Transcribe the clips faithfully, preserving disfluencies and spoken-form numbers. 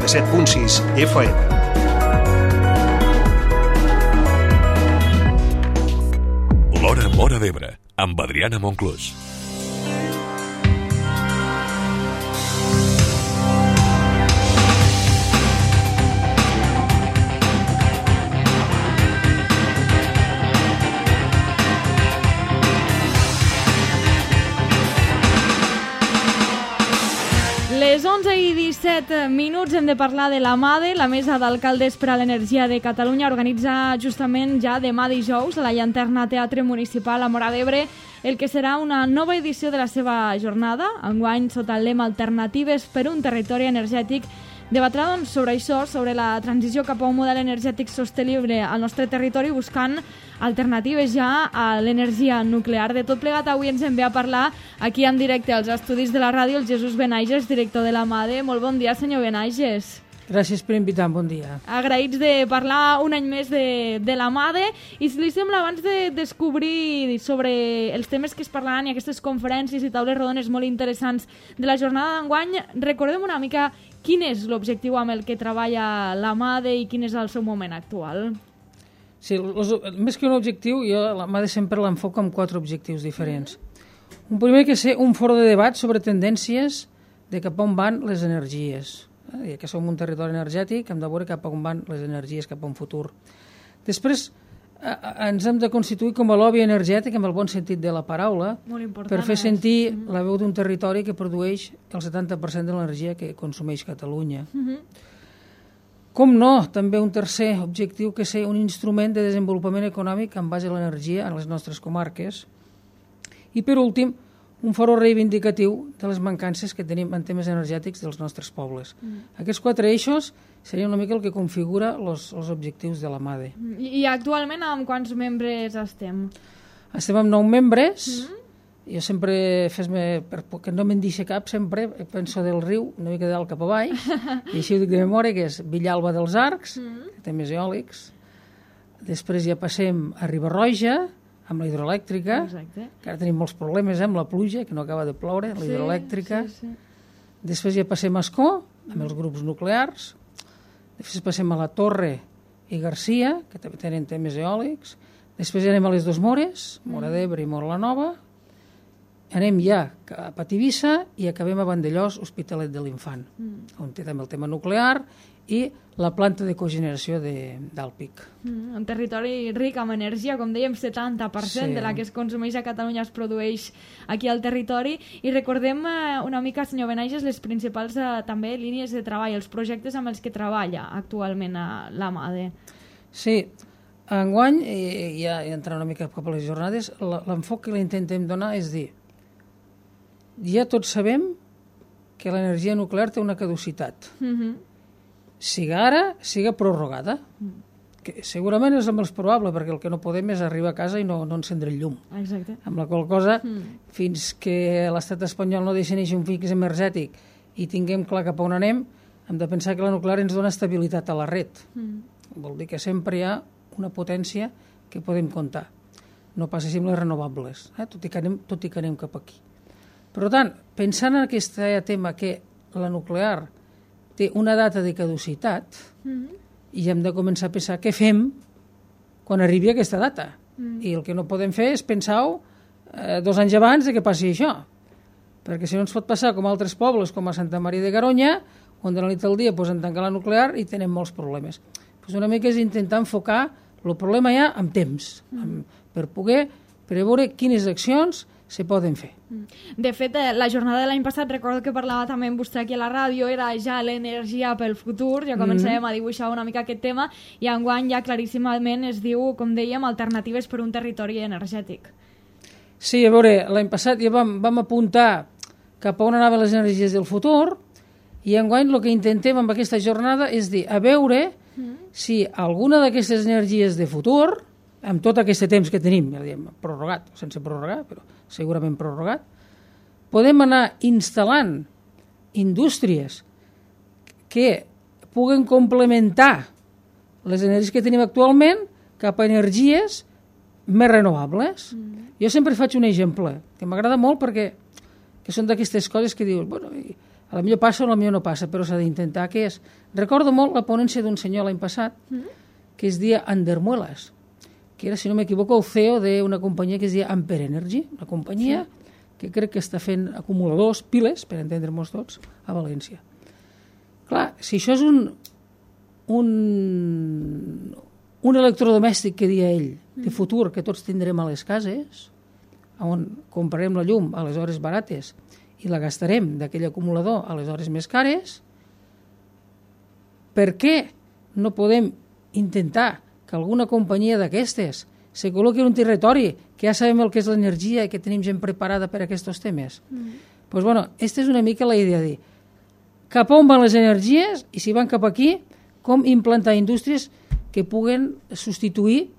set punt sis F M. L'Hora Móra d'Ebre, amb Adriana Monclús. Les onze i disset minuts hem de parlar de la MADE. La Mesa d'Alcaldes per a l'Energia de Catalunya organitza justament ja demà dijous a la Llanterna Teatre Municipal a Móra d'Ebre el que serà una nova edició de la seva jornada, enguany sota el lema Alternatives per un territori energètic. Debatrà doncs, sobre això, sobre la transició cap a un model energètic sostenible al nostre territori, buscant alternatives ja a l'energia nuclear. De tot plegat, avui ens en ve a parlar aquí en directe als estudis de la ràdio el Jesús Benaiges, director de la MADE. Molt bon dia, senyor Benaiges. Gràcies per invitar, bon dia. Agraïts de parlar un any més de, de la MADE. I si li sembla, abans de descobrir sobre els temes que es parlaran i aquestes conferències i taules rodones molt interessants de la jornada d'enguany, recordem una mica quin és l'objectiu amb el que treballa la MADE i quin és el seu moment actual. Sí, los, més que un objectiu, jo la MADE sempre l'enfoco amb quatre objectius diferents. Un primer que és un foro de debat sobre tendències de cap on van les energies. Ja que som un territori energètic, hem de veure cap on van les energies, cap a un futur. Després, a, a, ens hem de constituir com a lobby energètic, en el bon sentit de la paraula, per fer sentir mm-hmm. la veu d'un territori que produeix el setanta per cent de l'energia que consumeix Catalunya. Mm-hmm. Com no, també un tercer objectiu que és un instrument de desenvolupament econòmic en base a l'energia en les nostres comarques. I per últim, un foro reivindicatiu de les mancances que tenim en temes energètics dels nostres pobles. Mm. Aquests quatre eixos serien una mica el que configura els objectius de la MADE. I, I actualment amb quants membres estem? Estem amb nou membres. Mm. Jo sempre, fes-me, perquè no me'n deixa cap, sempre penso del riu, una mica dalt cap avall, i així ho dic de memòria, que és Villalba dels Arcs, mm. que té més eòlics. Després ja passem a Riba-roja, amb la hidroelèctrica, Exacte. que ara tenim molts problemes eh, amb la pluja, que no acaba de ploure, la sí, hidroelèctrica. Sí, sí. Després ja passem a Ascó, amb els grups nuclears. Després passem a la Torre i Garcia, que també tenen temes eòlics. Després ja anem a les dues Mores, Móra d'Ebre i Móra la Nova. Anem ja cap a Tivissa i acabem a Vandellós, Hospitalet de l'Infant, mm. on té també el tema nuclear i la planta de cogeneració d'Alpic. Mm, un territori ric amb energia, com dèiem, setanta per cent sí. de la que es consumeix a Catalunya es produeix aquí al territori. I recordem eh, una mica, senyor Benaiges, les principals eh, també línies de treball, els projectes amb els que treballa actualment a la MADE. Sí, enguany, i ja entrant una mica cap a les jornades, l'enfoc que li intentem donar és dir, ja tots sabem que l'energia nuclear té una caducitat. Mm-hmm. Siga ara, siga prorrogada. Mm. Que segurament és el més probable, perquè el que no podem és arribar a casa i no, no encendre el llum. Exacte. Amb la qual cosa, mm. fins que l'estat espanyol no deixi néixer un fix energètic i tinguem clar cap a on anem, hem de pensar que la nuclear ens dona estabilitat a la red. Mm. Vol dir que sempre hi ha una potència que podem comptar. No passa així amb les renovables, eh? tot, i que anem, tot i que anem cap aquí. Per tant, pensant en aquest tema que la nuclear té una data de caducitat mm-hmm. i hem de començar a pensar què fem quan arribi aquesta data. Mm. I el que no podem fer és pensar-ho eh, dos anys abans de que passi això. Perquè si no ens pot passar com altres pobles, com a Santa Maria de Garoña, on de la nit al dia posen tancar la nuclear i tenen molts problemes. Pues una mica és intentar enfocar el problema ja amb temps, mm. amb, per poder preveure quines accions se poden fer. De fet, la jornada de l'any passat, recordo que parlava també amb vostè aquí a la ràdio, era ja l'energia pel futur, ja començàvem mm-hmm. a dibuixar una mica aquest tema, i enguany ja claríssimament es diu, com dèiem, alternatives per un territori energètic. Sí, a veure, l'any passat ja vam, vam apuntar cap a on anaven les energies del futur, i enguany el que intentem amb aquesta jornada és dir, a veure mm-hmm. si alguna d'aquestes energies de futur, amb tot aquest temps que tenim, ja diem, prorrogat, sense prorrogar, però segurament prorrogat, podem anar instal·lant indústries que puguen complementar les energies que tenim actualment cap a energies més renovables. Mm. Jo sempre faig un exemple que m'agrada molt perquè que són d'aquestes coses que dius, bueno, A la millor passa o a la millor no passa, però s'ha d'intentar. Què és? Recordo molt la ponència d'un senyor l'any passat, mm. que es deia Andermuelas, que era, si no m'equivoco, el C E O d'una companyia que es deia Ampere Energy, una companyia sí. que crec que està fent acumuladors, piles, per entendre-nos tots, a València. Clar, si això és un, un, un electrodomèstic que dia ell, de futur, que tots tindrem a les cases, on comprarem la llum a les hores barates i la gastarem d'aquell acumulador a les hores més cares, per què no podem intentar que alguna companyia d'aquestes se col·loqui en un territori que ja sabem el que és l'energia i que tenim gent preparada per a aquests temes? Mm. Pues bueno, aquesta és una mica la idea de cap on van les energies i si van cap aquí, com implantar indústries que puguen substituir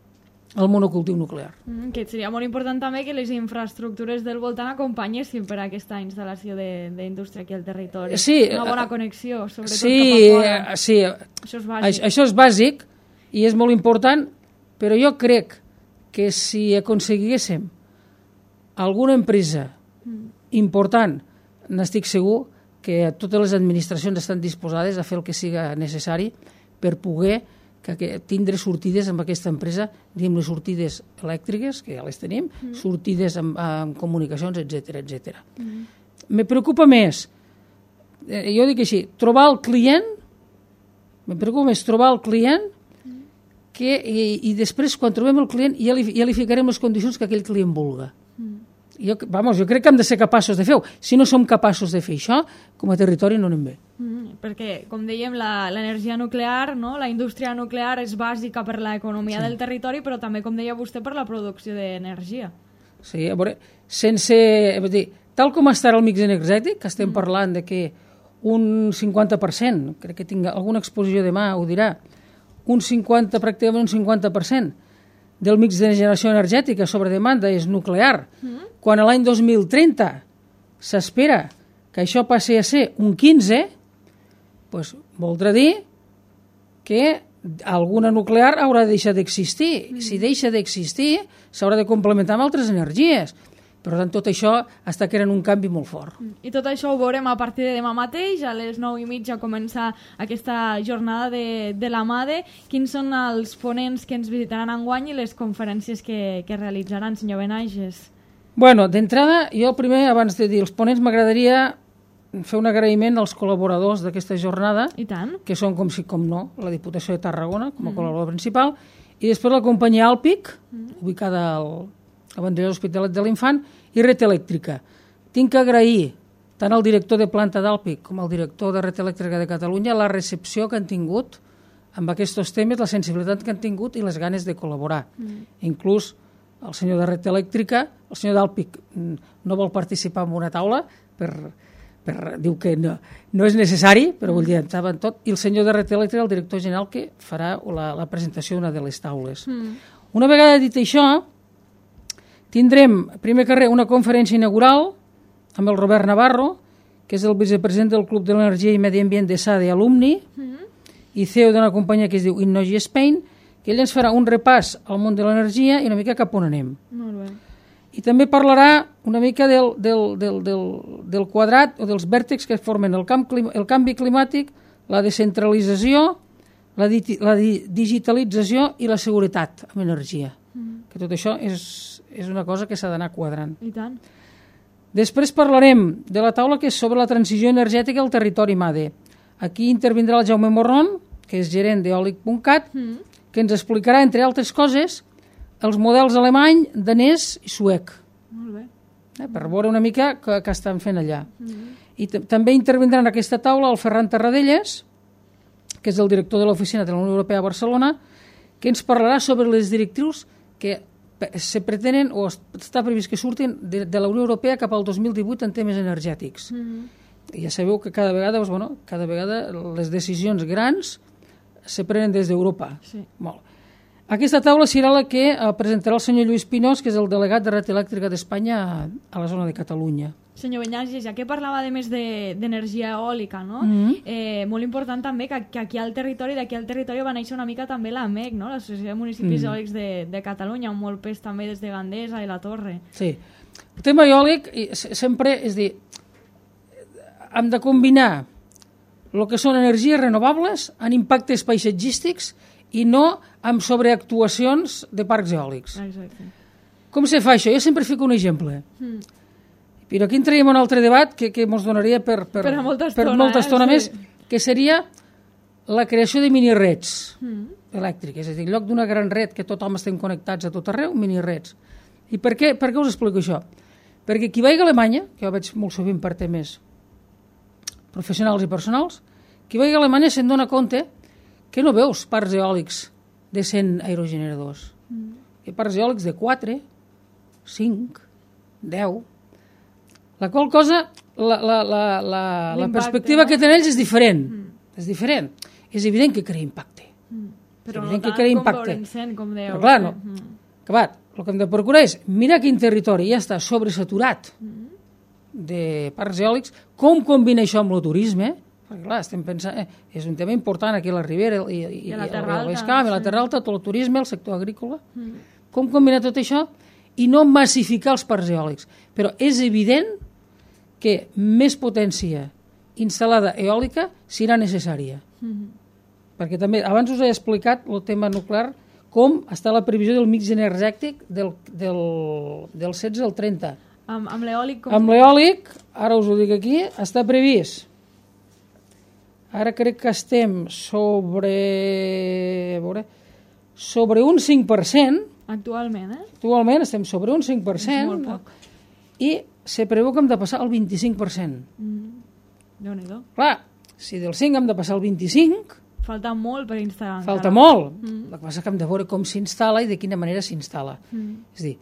el monocultiu nuclear. Mm, que seria molt important també que les infraestructures del voltant acompanyessin per a aquesta instal·lació d'indústria aquí al territori. Sí, una bona connexió, sobretot sí, cap a fora. Sí, això és bàsic. Això, això és bàsic i és molt important, però jo crec que si aconseguíssim alguna empresa mm. important, n'estic segur que totes les administracions estan disposades a fer el que siga necessari per poder que, que tindre sortides amb aquesta empresa, diguem les sortides elèctriques, que ja les tenim, mm. sortides amb, amb comunicacions, etcètera, etcètera. Mm. Me preocupa més, eh, jo dic així, trobar el client, me preocupa més trobar el client mm. que, i, i després, quan trobem el client, ja li, ja li ficarem les condicions que aquell client vulga. Mm. Jo, vamos, jo crec que hem de ser capaços de fer-ho. Si no som capaços de fer això, com a territori no anem bé. Mm, perquè, com dèiem, l'energia nuclear, no? La indústria nuclear és bàsica per l'economia sí. del territori, però també, com deia vostè, per la producció d'energia. Sí, a veure, sense... Dir, tal com està el mix energètic, que estem mm. parlant de que un cinquanta per cent, crec que tinc alguna exposició demà, ho dirà, un cinquanta, pràcticament un cinquanta per cent del mix de generació energètica sobre demanda és nuclear, mm. quan a l'any dos mil trenta s'espera que això passi a ser un quinze, doncs voldrà dir que alguna nuclear haurà de deixar d'existir. Mm. Si deixa d'existir, s'haurà de complementar amb altres energies. Per tant, tot això està creant un canvi molt fort. I tot això ho veurem a partir de demà mateix, a les nou i mitja comença aquesta jornada de, de la MADE. Quins són els ponents que ens visitaran enguany i les conferències que, que realitzaran, senyor Benages? Bueno, d'entrada, jo primer, abans de dir els ponents, m'agradaria fer un agraïment als col·laboradors d'aquesta jornada, I tant. que són, com si com no, la Diputació de Tarragona, com a mm. col·laborador principal, i després la companyia Alpic, mm. ubicada al a Vendrell Hospitalet de l'Infant, i Red Elèctrica. Tinc que agrair tant al director de planta d'Alpic com al director de Red Elèctrica de Catalunya la recepció que han tingut amb aquests temes, la sensibilitat que han tingut i les ganes de col·laborar. Mm. Inclús el senyor de Red Elèctrica, el senyor d'Alpic no vol participar en una taula, per, per, diu que no, no és necessari, però vull dir, estava en tot, i el senyor de Red Elèctrica, el director general, que farà la, la presentació d'una de les taules. Mm. Una vegada dit això, tindrem, primer que res, una conferència inaugural amb el Robert Navarro, que és el vicepresident del Club de l'Energia i Medi Ambient de SADE Alumni, mm-hmm. i C E O d'una companyia que es diu Innogy Spain, que ell ens farà un repàs al món de l'energia i una mica cap on anem. Molt bé. I també parlarà una mica del, del, del, del, del quadrat o dels vèrtexs que formen el, camp, el canvi climàtic, la descentralització, la, di, la di, digitalització i la seguretat amb energia. Mm. Que tot això és... és una cosa que s'ha d'anar quadrant. I tant. Després parlarem de la taula que és sobre la transició energètica al territori MADE. Aquí intervindrà el Jaume Morron, que és gerent d'eòlic punt cat, mm. que ens explicarà, entre altres coses, els models alemany, danès i suec. Molt bé. Eh, per veure una mica què, què estan fent allà. Mm. I també intervindrà en aquesta taula el Ferran Tarradellas, que és el director de l'oficina de la Unió Europea a Barcelona, que ens parlarà sobre les directrius que se pretenen o està previst que surtin de, de la Unió Europea cap al dos mil divuit en temes energètics. Mm-hmm. I ja sabeu que cada vegada, doncs, bueno, cada vegada les decisions grans se prenen des d'Europa. Sí. Molt. Aquesta taula serà la que presentarà el senyor Lluís Pinós, que és el delegat de Red Elèctrica d'Espanya a la zona de Catalunya. Senyor Benages, ja que parlava de més d'energia eòlica, no? Mm-hmm. eh, molt important també que, que aquí al territori, d'aquí al territori va néixer una mica també l'A M E C, no? l'Associació de Municipis mm. Eòlics de, de Catalunya, amb molt pes també des de Gandesa i la Torre. Sí. El tema eòlic sempre, és dir, hem de combinar el que són energies renovables en impactes paisatgístics i no amb sobreactuacions de parcs eòlics. Exacte. Com se fa això? Jo sempre fico un exemple. Mm. Però aquí entraríem en un altre debat que, que ens donaria per, per, per molta estona, per molta estona eh? més, Sí. que seria la creació de minireds Mm. elèctriques. És a dir, en lloc d'una gran red que tothom estem connectats a tot arreu, minireds. I per què, per què us explico això? Perquè qui vagi a Alemanya, que jo veig molt sovint per temes professionals i personals, qui vagi a Alemanya se'n dona compte que no veus parcs eòlics de cent aerogeneradors. Mm. Hi ha parcs eòlics de quatre, cinc, deu. La qual cosa, la, la, la, la, la perspectiva no? que tenen ells és diferent. Mm. És diferent. És evident que crea impacte. Mm. Però és no tant que crea com impacte. veure'n cent, com dèieu. Però clar, no. Mm. Acabat. El que hem de procurar és mirar quin territori ja està sobresaturat mm. de parcs eòlics, com combina això amb el turisme, perquè clar, estem pensant, eh, és un tema important aquí a la Ribera i, i, I a la Terra Alta, l'Escam, sí. a la Terra Alta, tot el turisme, el sector agrícola, mm. com combinar tot això i no massificar els parcs eòlics. Però és evident que més potència instal·lada eòlica serà necessària. Mm. Perquè també, abans us he explicat el tema nuclear, com està la previsió del mix energètic del, del, del setze al trenta. Amb, amb l'eòlic? Com... Amb l'eòlic, ara us ho dic aquí, està previst. Ara crec que estem sobre, a veure, sobre un cinc per cent. Actualment, eh? Actualment estem sobre un cinc per cent. És molt poc. I se preveu que hem de passar al vint-i-cinc per cent. Mm. Déu-n'hi-do. Clar, si del cinc hem de passar al vint-i-cinc... Falta molt per instal·lar. Falta encara. molt. Mm. El que passa que hem de veure com s'instal·la i de quina manera s'instal·la. Mm. És a dir,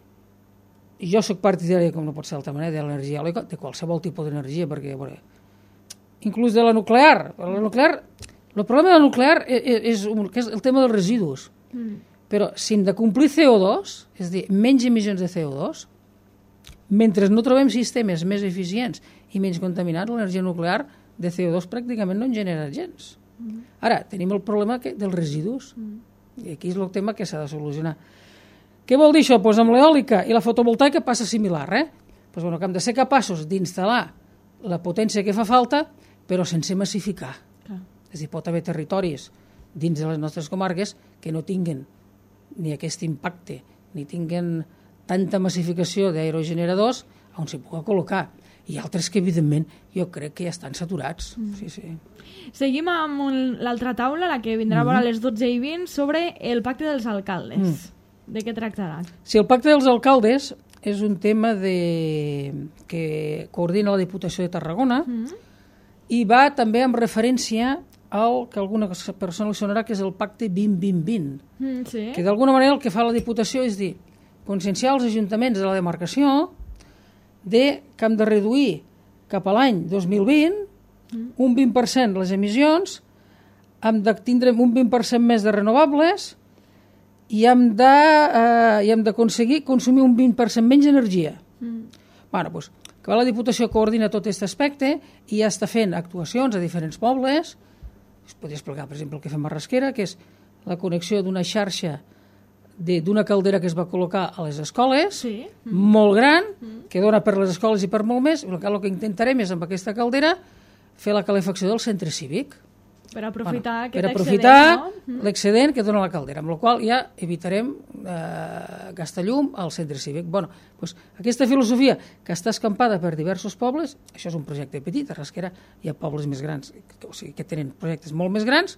jo soc partidari, com no pot ser d'altra manera, de l'energia eòlica, de qualsevol tipus d'energia, perquè, a veure, inclús de la nuclear. La nuclear, el problema de la nuclear és, és, que és el tema dels residus. Mm. Però si hem de complir C O dos, és a dir, menys emissions de C O dos, mentre no trobem sistemes més eficients i menys contaminats, l'energia nuclear de C O dos pràcticament no en genera gens. Mm. Ara, tenim el problema que, dels residus, mm. i aquí és el tema que s'ha de solucionar. Què vol dir això? Pues amb l'eòlica i la fotovoltaica passa similar, eh? Pues, bueno, que hem de ser capaços d'instal·lar la potència que fa falta, però sense massificar. Ah. És a dir, pot haver territoris dins de les nostres comarques que no tinguen ni aquest impacte, ni tinguen tanta massificació d'aerogeneradors on s'hi pugui col·locar. I altres que, evidentment, jo crec que ja estan saturats. Mm. Sí, sí. Seguim amb un, l'altra taula, la que vindrà mm. a les dotze i vint, sobre el pacte dels alcaldes. Mm. De què tractarà? Sí, el pacte dels alcaldes és un tema de... que coordina la Diputació de Tarragona mm. i va també amb referència al que alguna persona li sonarà, que és el pacte vint vint vint. Mm, sí. Que d'alguna manera el que fa la Diputació és dir, conscienciar els ajuntaments de la demarcació de que hem de reduir cap a l'any dos mil vint mm. un vint per cent les emissions, hem de tindre un vint per cent més de renovables i hem de, eh, i hem d'aconseguir consumir un vint per cent menys d'energia. Mm. Bueno, doncs, que la Diputació coordina tot aquest aspecte i ja està fent actuacions a diferents pobles. Es podria explicar, per exemple, el que fem a Rasquera, que és la connexió d'una xarxa d'una caldera que es va col·locar a les escoles, sí. mm. molt gran, mm. que dona per les escoles i per molt més. El que, el que intentarem és, amb aquesta caldera, fer la calefacció del centre cívic. Per aprofitar bueno, aquest per aprofitar excedent, no? l'excedent que dona la caldera, amb la qual ja evitarem eh, gastar llum al centre cívic. Bueno, doncs, aquesta filosofia que està escampada per diversos pobles, això és un projecte petit, a Rasquera hi ha pobles més grans, o sigui, que tenen projectes molt més grans,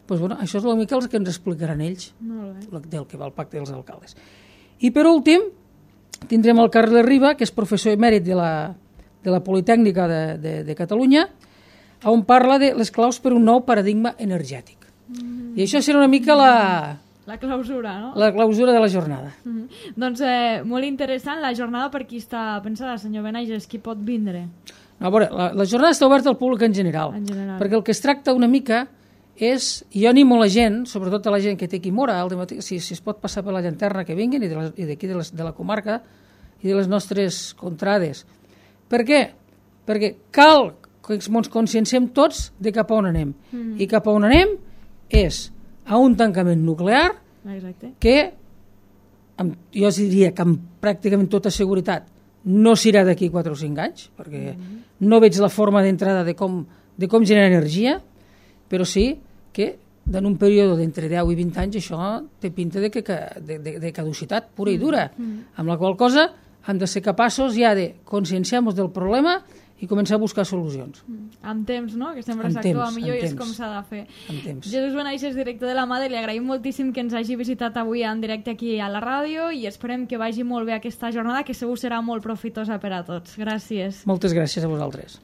doncs, bueno, això és una mica el que ens explicaran ells del que va el pacte dels alcaldes. I per últim, tindrem el Carles Riba, que és professor emèrit de la, de la Politècnica de, de, de Catalunya, on parla de les claus per un nou paradigma energètic. Mm-hmm. I això serà una mica la... La clausura, no? La clausura de la jornada. Mm-hmm. Doncs eh, molt interessant la jornada per qui està pensada, senyor Benages, qui pot vindre? No, a veure, la, la jornada està oberta al públic en general, en general, perquè el que es tracta una mica és, jo animo la gent, sobretot a la gent que té aquí Mora, al dematí, si, si es pot passar per la llanterna que vinguin, i d'aquí de, de, de la comarca i de les nostres contrades. Per què? Perquè cal que ens conscienciem tots de cap a on anem. Mm. I cap a on anem és a un tancament nuclear. Exacte. Que, amb, jo diria que amb pràcticament tota seguretat no serà d'aquí quatre o cinc anys, perquè no veig la forma d'entrada de com, de com generar energia, però sí que en un període d'entre deu i vint anys això té pinta de, que, de, de, de caducitat pura i dura, amb la qual cosa hem de ser capaços ja de conscienciar-nos del problema i començar a buscar solucions. Amb temps, no? Que sempre s'actua millor i és com s'ha de fer. Amb temps. Jesús Benaixes, director de la MADE, li agraïm moltíssim que ens hagi visitat avui en directe aquí a la ràdio i esperem que vagi molt bé aquesta jornada, que segur serà molt profitosa per a tots. Gràcies. Moltes gràcies a vosaltres.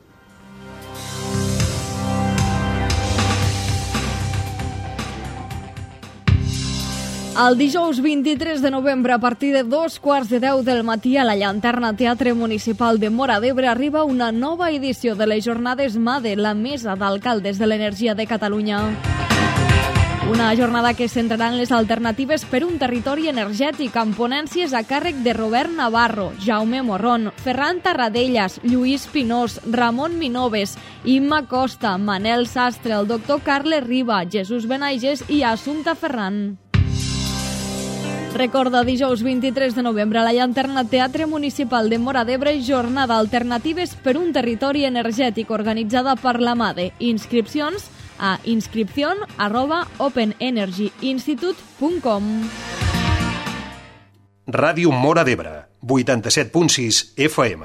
El dijous vint-i-tres de novembre, a partir de dos quarts de deu del matí, a la Llanterna Teatre Municipal de Móra d'Ebre arriba una nova edició de les jornades MADE, la Mesa d'Alcaldes de l'Energia de Catalunya. Una jornada que es centrarà en les alternatives per un territori energètic, amb ponències a càrrec de Robert Navarro, Jaume Morron, Ferran Tarradellas, Lluís Pinós, Ramon Minoves, Imma Costa, Manel Sastre, el doctor Carles Riba, Jesús Benaixes i Assumpta Ferran. Recorda, dijous vint-i-tres de novembre a la Llanterna Teatre Municipal de Móra d'Ebre, jornada Alternatives per un territori energètic organitzada per la MADE. Inscripcions a inscripción arroba openenergyinstitute punt com. Ràdio Móra d'Ebre, vuitanta-set punt sis F M.